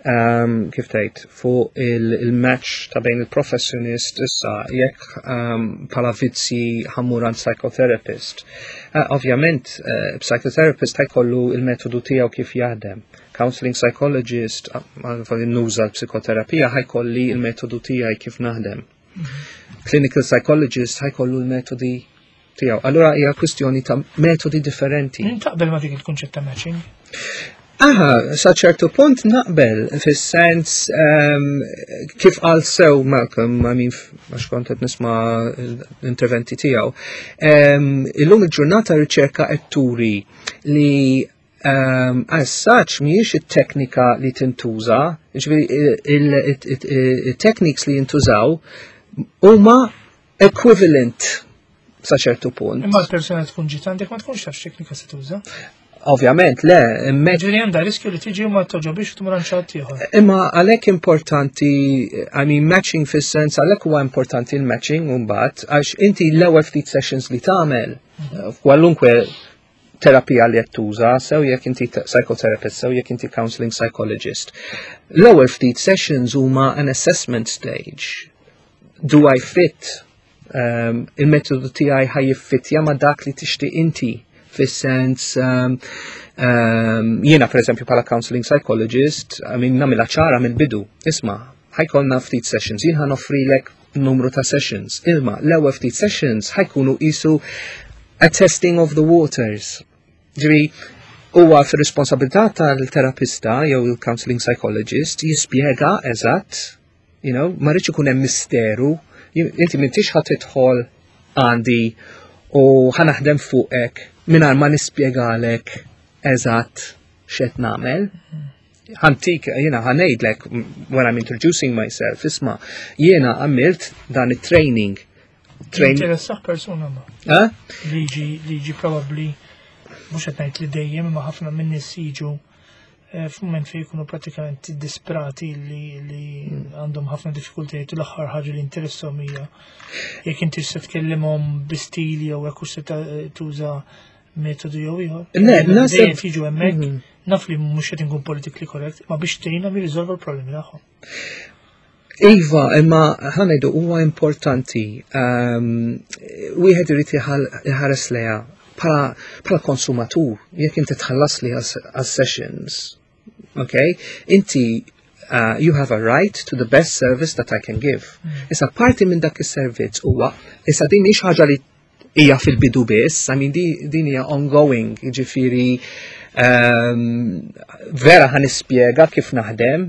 kif tgħid fuq il-match ta' bejn il-professjonist issa jekk bħala vizzi ħa mmur għand psychotherapist. Ovvjament, psychotherapist ħa jkollu il-metodu tiegħu kif jaħdem. Counseling psychologist, għal nuża l-psikoterapija, ħa jkolli il-metodu tiegħi kif naħdem. Clinical psychologist ħa jkollu l-metodi tiegħu. Allura hija kwistjoni ta' metodi differenti. Taqbel ma dik il-kunċett ta' matching? Aha, sa ċertu punt naqbel, fis-sens kif qal sew Malcolm, I mean, għax kont qed nisma' l-interventi tiegħu. Illum il-ġurnata riċerka qed turi li as such mhijiex it-teknika li tintuża, ġifieri il-techniques li jintużaw huma equivalent sa ċertu punt. Imma l-persuna tkun ġiet għandek ma tkunx taf x'teknika se tuża. Ovvjament, le, imma Ġifieri għandha riskju li tiġi u ma toġobix u tmur għand xi ħadd ieħor. Imma għalhekk importanti, I mean, matching fis-sens għalhekk huwa importanti l-matching mbagħad għax inti l-ewwel ftit sessions li tagħmel f'kwalunkwe terapija li qed tuża, sew jekk inti psychotherapist, sew jekk inti counseling psychologist. L-ewwel ftit sessions huma an assessment stage. Do I fit? Il-metodu tiegħi ħa jiffittja ma' dak li tixtieq inti fis-sens jiena per eżempju bħala counseling psychologist, I mean, nagħmilha ċara mill-bidu. Isma', ħa jkollna ftit sessions, jien ħa noffrilek numru ta' sessions. Imma l-ewwel ftit sessions ħa jkunu qisu a testing of the waters. Ġifieri, huwa fir-responsabilità tal-terapista jew il-counseling psychologist jispjega eżatt, ma rridx ikun hemm misteru, inti m'intix ħa tidħol għandi u ħa naħdem fuqek mingħajr ma nispjegalek eżatt x'qed nagħmel. Ħa ntik, jiena ħa ngħidlek when I'm introducing myself, isma', jiena għamilt dan it-training. Interessah persuna ma. Eh? Liġi probabli, mhux qed ngħid li dejjem, imma ħafna minn nies jiġu f'mument fejn jkunu pratikament disprati li għandhom ħafna diffikultajiet u l-aħħar ħaġa li interessahom hija jekk inti se tkellimhom bi stil jew hekk se tuża metodu jew ieħor. Le, naħseb Dejjem jiġu hemmhekk, naf li mhux qed inkun politically correct, ma biex tgħinhom jirriżolvu l-problemi tagħhom. Iva, imma ħa ngħidu huwa importanti, wieħed irid iħares lejha bħala konsumatur, jekk inti tħallas li għas-sessions, okay? Inti you have a right to the best service that I can give. Issa parti minn dak is-servizz huwa, issa din mhix ħaġa li hija fil-bidu biss, I mean, din hija ongoing, jiġifieri vera ħa nispjega kif naħdem,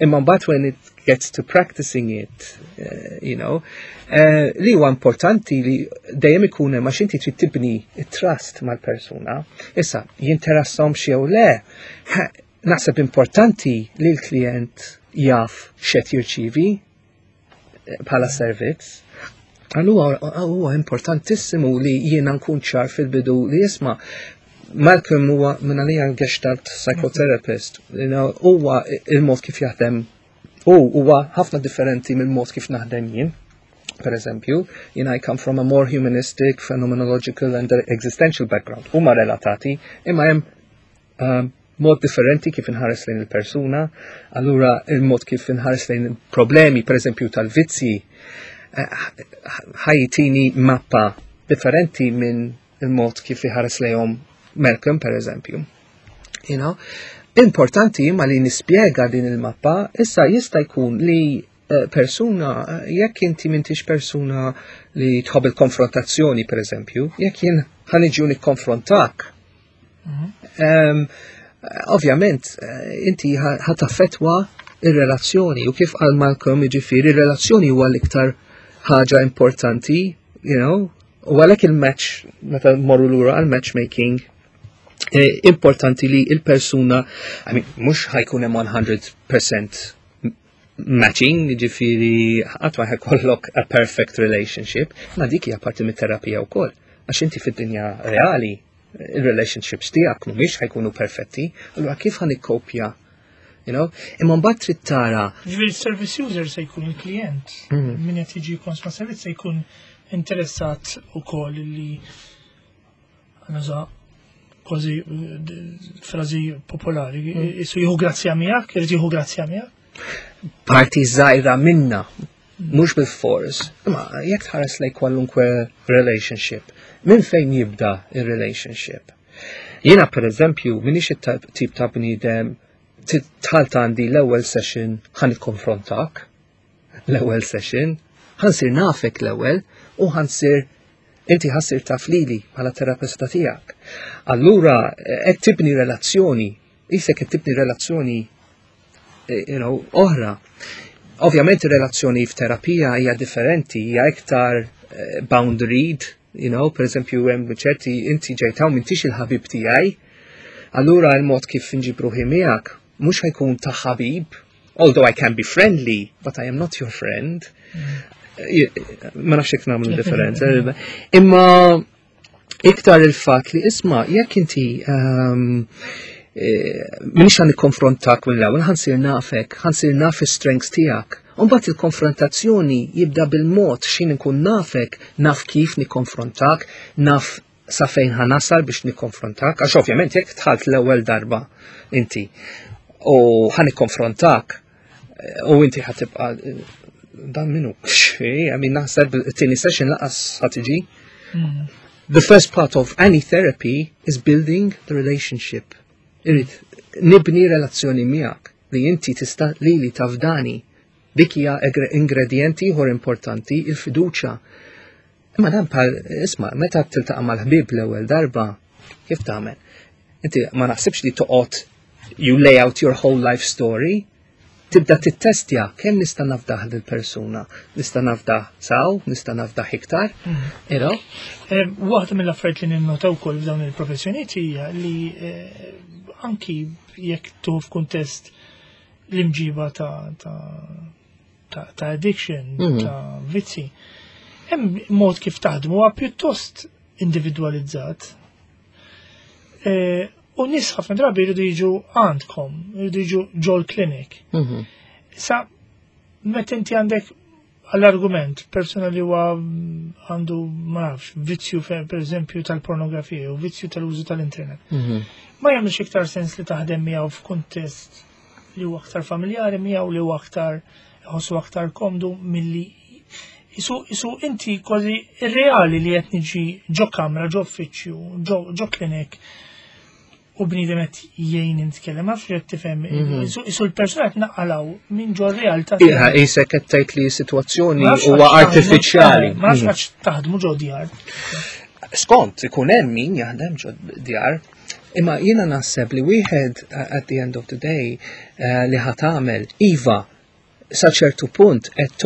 imma mbagħad when it gets to practicing it, li huwa importanti li dejjem ikun hemm għax inti trid tibni it-trust mal-persuna. Issa, jinteressahom jew le, naħseb importanti li l-klient jaf x'qed jirċivi bħala servizz. Allura huwa importantissimu li jiena nkun ċar fil-bidu li jisma' Malcolm huwa minn għalija gestalt psychotherapist, huwa il-mod kif jaħdem u huwa ħafna differenti mill-mod kif naħdem jien. Per eżempju, jien I come from a more humanistic, phenomenological and existential background. Huma relatati, imma hemm mod differenti kif inħares lejn il-persuna, allura il-mod kif inħares lejn problemi, per eżempju, tal-vizzi, ħa jtini mappa differenti minn il-mod kif iħares lejhom Malcolm, per eżempju. Importanti imma li nispjega din il-mappa, issa jista' jkun li persuna, jekk inti m'intix persuna li tħobb il-konfrontazzjoni, per eżempju, jekk jien ħa niġi nikkonfrontak, ovvjament, inti ħa taffettwa il-relazzjoni u kif qal Malcolm, jiġifieri, il-relazzjoni huwa l-iktar ħaġa importanti, u għalhekk il-match, meta morru lura għal-matchmaking, importanti li il-persuna, I mean, mhux ħa jkun hemm 100% matching, ġifieri, qatt ma ħa jkollok a perfect relationship, ma dik hija parti mit-terapija wkoll. Għax inti fid-dinja reali, il-relationships tiegħek mhumiex ħa jkunu perfetti, allura kif ħa nikkopja? Imma mbagħad trid tara. Ġifieri service user se jkun il-klient, min qed jiġi konsma servizz se jkun interessat ukoll li nuża kważi frażi popolari, jisu jieħu grazzja miegħek, irid jieħu grazzja miegħek. Parti żgħira minna, mhux bil-fors, imma jekk tħares lejn kwalunkwe relationship, minn fejn jibda il-relationship? Jiena per eżempju, minix it-tip ta' bniedem dħalt għandi l-ewwel session ħa nikkonfrontak, l-ewwel session. Ħa nsir nafek l-ewwel u ħa nsir inti ħa ssir taf lili bħala terapista tiegħek. Allura qed tibni relazzjoni, isek qed tibni relazzjoni oħra. Ovvjament ir-relazzjoni f'terapija hija differenti, hija iktar boundaried, per eżempju hemm ċerti inti ġejt hawn m'intix il-ħabib tiegħi, allura l-mod kif nġib ruħi miegħek mhux ħa jkun ta' ħabib, although I can be friendly, but I am not your friend. Ma nafx jekk nagħmlu differenza. Imma iktar il-fatt li isma' jekk inti m'iniex ħa nikkonfrontak mill-ewwel, ħa nsir nafek, ħa nsir naf is-strengths tiegħek. Imbagħad il-konfrontazzjoni jibda bil-mod x'ħin nkun nafek, naf kif nikkonfrontak, naf sa fejn ħa nasal biex nikkonfrontak, għax ovvjament jekk dħalt l-ewwel darba inti u ħa nikkonfrontak u inti ħa tibqa' dan minnu. I mean, naħseb it-tieni session lanqas ħa tiġi. The first part of any therapy is building the relationship. Irrid nibni relazzjoni miegħek li inti tista' lili tafdani. Dik hija ingredienti ieħor importanti, il-fiduċja. Imma dan bħal isma' meta tiltaqa' mal-ħbieb l-ewwel darba, kif tagħmel? Inti ma naħsibx li toqgħod you lay out your whole life story, tibda tittestja kemm nista' nafdah lill-persuna, nista' nafdah saw, nista' nafdah iktar, you know? Waħda mill-affarijiet li ninnota wkoll f'dawn il-professjonijiet hija li anki jekk tuħu f'kuntest l-imġiba ta' addiction, ta' vizzi, hemm mod kif taħdmu huwa pjuttost individualizzat. U nies ħafna drabi jridu jiġu għandkom, jridu jiġu ġol clinic. Sa, meta inti għandek għall-argument persuna li huwa għandu, ma nafx, vizzju per eżempju tal-pornografija u vizzju tal-użu tal-internet. Ma jagħmilx iktar sens li taħdem miegħu f'kuntest li huwa aktar familjari miegħu, li huwa aktar iħossu aktar komdu milli isu inti kważi irreali li qed niġi ġo kamra, ġo uffiċċju, ġo clinic u bniedem qed jgħin nitkellem, ma nafx qed tifhem. Isu l-persuna qed naqalaw minn ġo realtà. Iha, qisek qed tgħid li sitwazzjoni huwa artifiċjali. Ma nafx għax taħdmu ġo djar. Skont, ikun hemm min jaħdem ġo djar. Imma jiena naħseb li wieħed at the end of the day li ħa tagħmel iva sa ċertu punt qed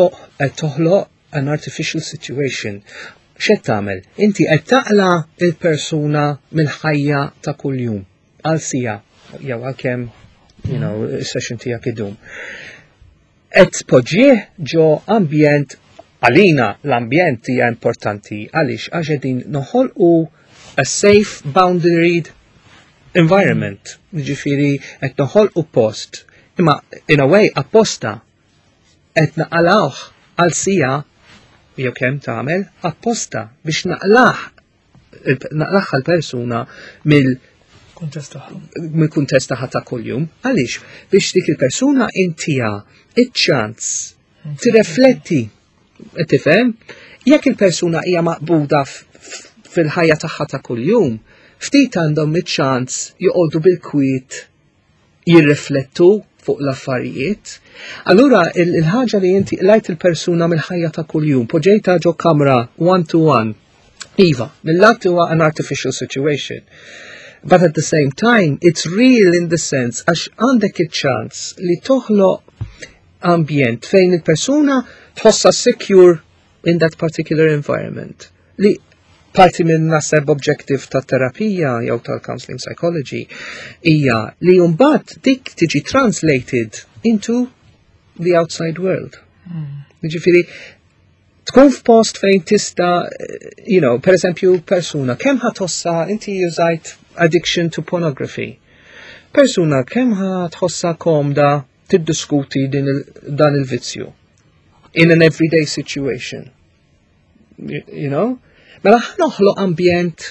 toħloq an artificial situation. X'qed tagħmel? Inti qed taqla il-persuna mill-ħajja ta' kuljum għal siegħa jew għal kemm is-session tiegħek idum. Qed tpoġġih ġo ambjent, għalina l-ambjent hija importanti għaliex għax qegħdin noħolqu a safe boundaried environment. Ġifieri qed noħolqu post, imma in a way apposta qed naqalawh għal siegħa jew kemm tagħmel apposta biex naqlaħ l-persuna mill kuntest tagħha. Mill-kuntest tagħha ta' kuljum. Għaliex? Biex dik il-persuna intija iċ-ċans tirrefletti, tifhem? Jekk il-persuna hija maqbuda fil-ħajja tagħha ta' kuljum, ftit għandhom iċ-ċans joqogħdu bil-kwiet jirriflettu fuq l-affarijiet. Allura il-ħaġa li inti lajt il-persuna mill-ħajja ta' kuljum, poġġejta ġo kamra one to one. Iva, mill-lat huwa an artificial situation. But at the same time, it's real in the sense għax għandek il-ċans li toħloq ambjent fejn il-persuna tħossa secure in that particular environment. Li parti minn naħseb objective ta' terapija jew tal-counseling psychology hija li mbagħad dik tiġi translated into the outside world. Ġifieri, tkun f'post fejn tista, per eżempju, persuna, kemm ħa tħossha, inti użajt addiction to pornography. Persuna, kemm ħa tħossha komda tiddiskuti dan il-vizzju in an everyday situation. You know? Mela ħa noħloq ambjent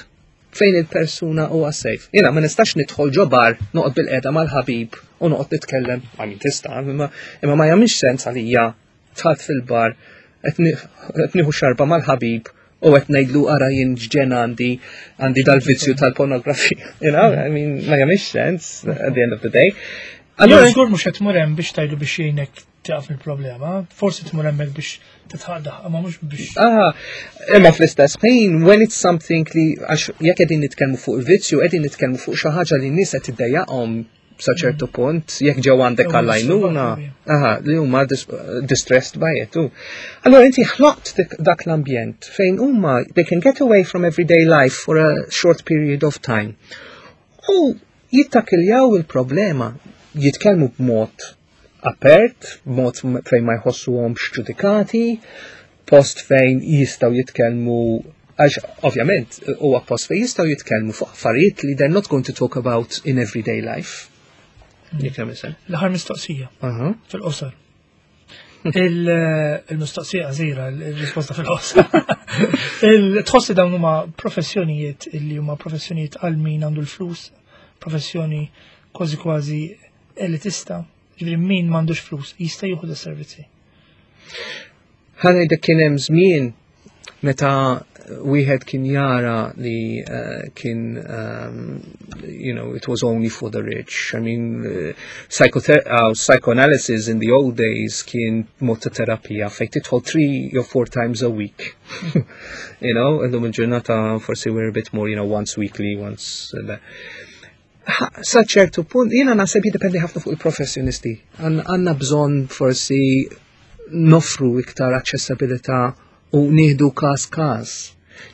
fejn il-persuna huwa safe. Jiena ma nistax nidħol ġo bar, noqgħod bil-qiegħda mal-ħabib u noqgħod nitkellem, I mean tista', imma ma jagħmilx sens għalija dħalt fil-bar qed nieħu xarba mal-ħabib u qed ngħidlu ara jien ġen għandi dal-vizzju tal-pornografija. You know, I mean, ma jagħmilx sens at the end of the day. Allora żgur mhux qed tmur hemm biex tgħidlu biex jgħinek. tieqaf mill-problema, forsi tmur hemmhekk biex titħaq ma mhux biex. Aha, imma fl-istess ħin, when it's something li għax jekk qegħdin nitkellmu fuq il-vizzju, qegħdin nitkellmu fuq xi ħaġa li n-nies qed tiddejjaqhom sa ċertu punt, jekk ġew għandek għall-għajnuna, aha, li huma distressed by it. Allora inti ħloqt dak l-ambjent fejn huma they can get away from everyday life for a short period of time. U jittakiljaw il-problema, jitkellmu b'mod apert, b'mod fejn ma jħossuhomx ġudikati, post fejn jistgħu jitkellmu għax ovvjament huwa post fejn jistgħu jitkellmu fuq affarijiet li they're not going to talk about in everyday life. Jekk hemm sen. L-aħħar mistoqsija fil-qosor. Il-mistoqsija qasira, il-risposta fil-qosor. Tħossi dawn huma professjonijiet illi huma professjonijiet għal min għandu l-flus, professjoni kważi kważi elitista, ġifieri min m'għandux flus jista' jieħu servizzi. Ħa ngħidlek kien hemm żmien meta wieħed kien jara li kien it was only for the rich. I mean, psychoanalysis in the old days kien mod ta' terapija fejn tidħol 3 or 4 times a week. Illum il-ġurnata forsi we're a bit more, once weekly, once sa ċertu punt, jiena naħseb jiddependi ħafna fuq il-professjonisti. Għandna bżonn forsi noffru iktar aċċessibilità u nieħdu każ każ.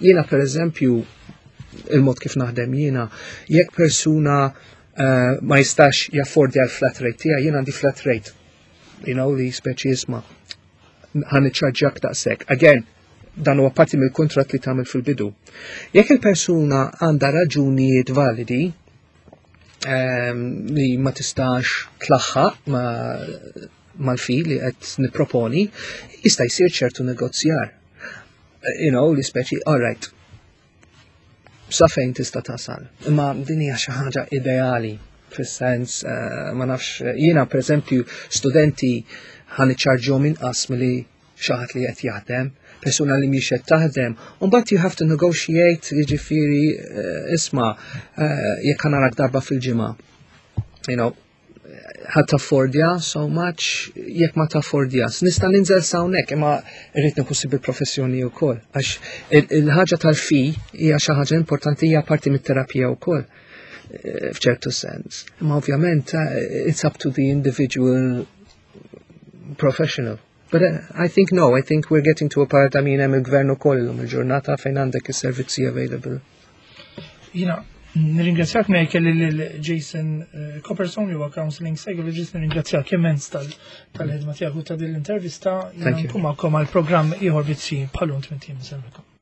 Jiena per eżempju, il-mod kif naħdem jiena, jekk persuna ma jistax jaffordja l-flat rate tiegħi, jiena għandi flat rate. Li speċi isma' ħa niċċarġjak daqshekk. Again, dan huwa parti mill-kuntratt li tagħmel fil-bidu. Jekk il-persuna għandha raġunijiet validi li ma tistax tlaħħaq ma mal-fee li qed nipproponi, jista' jsir ċertu negozjar. Li speċi, all right, sa fejn tista' tasal. Imma din hija xi ħaġa ideali fis-sens, ma nafx, jiena pereżempju studenti ħa niċċarġjahom inqas milli xi ħadd li qed jaħdem, persuna li mhix qed taħdem, u mbagħad you have to negotiate, jiġifieri isma' jekk ħa narak darba fil-ġimgħa. Ħa taffordja so much, jekk ma taffordjas. Nista' ninżel s'hawnhekk, imma rrid nieħu ħsieb il-professjoni wkoll. Għax il-ħaġa tal-fee hija xi ħaġa importanti, hija parti mit-terapija wkoll f'ċertu sens. Imma ovvjament it's up to the individual professional. But I think no, I think we're getting to a part, I mean, hemm il-gvern ukoll illum il-ġurnata fejn għandek is-servizzi available. Jiena nirringrazzjak me kelli lil Jason Copperstone li huwa counseling psychologist, nirringrazzjak immens tal-ħidma tiegħek u ta' din l-intervista. Jiena Thank you. nkun magħkom għal programm ieħor Vizzji bħal-lum 8 ijiem.